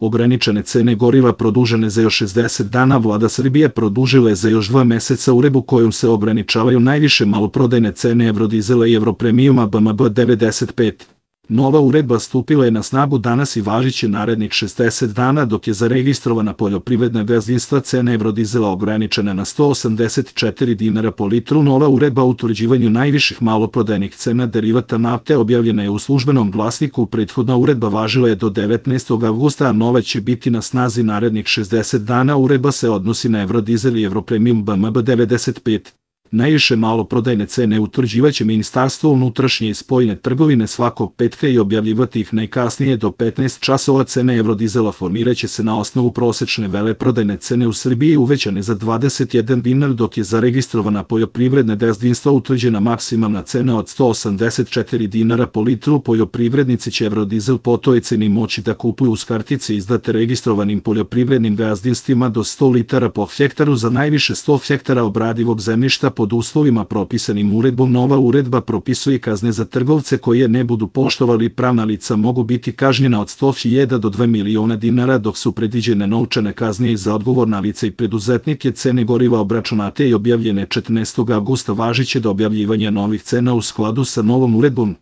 Ograničene cene goriva produžene za još 60 dana. Vlada Srbije produžila je za još 2 meseca uredbu kojom se ograničavaju najviše maloprodajne cene Eurodizela i Europremijuma BMB 95. Nova uredba stupila je na snagu danas i važiće narednih 60 dana, dok je za registrovana poljoprivredna gazdinstva cena Eurodizela ograničena na 184 dinara po litru. Nova uredba o utvrđivanju najviših maloprodajnih cena derivata nafte objavljena je u Službenom glasniku. Prethodna uredba važila je do 19. avgusta, a nova će biti na snazi narednih 60 dana. Uredba se odnosi na Eurodizel i Europremijum BMB 95. Najviše maloprodajne cene utvrđivaće Ministarstvo unutrašnje i spoljne trgovine svakog petka i objavljivati ih najkasnije do 15 časova. Cene Eurodizela formiraće se na osnovu prosečne veleprodajne cene u Srbiji uvećane za 21 dinar, dok je za registrovana poljoprivredna gazdinstva utvrđena maksimalna cena od 184 dinara po litru. Poljoprivrednici će Eurodizel po toj ceni moći da kupuju uz kartice izdate registrovanim poljoprivrednim gazdinstvima do 100 litara po hektaru za najviše 100 hektara obradivog zemljišta pod uslovima propisanim uredbom. Nova uredba propisuje kazne za trgovce koje ne budu poštovali. Pravna lica mogu biti kažnjena od 100.000 do 2 miliona dinara, dok su predviđene novčane kazne i za odgovorna lica i preduzetnike. Cene goriva obračunate i objavljene 14. avgusta važiće do objavljivanja novih cena u skladu sa novom uredbom.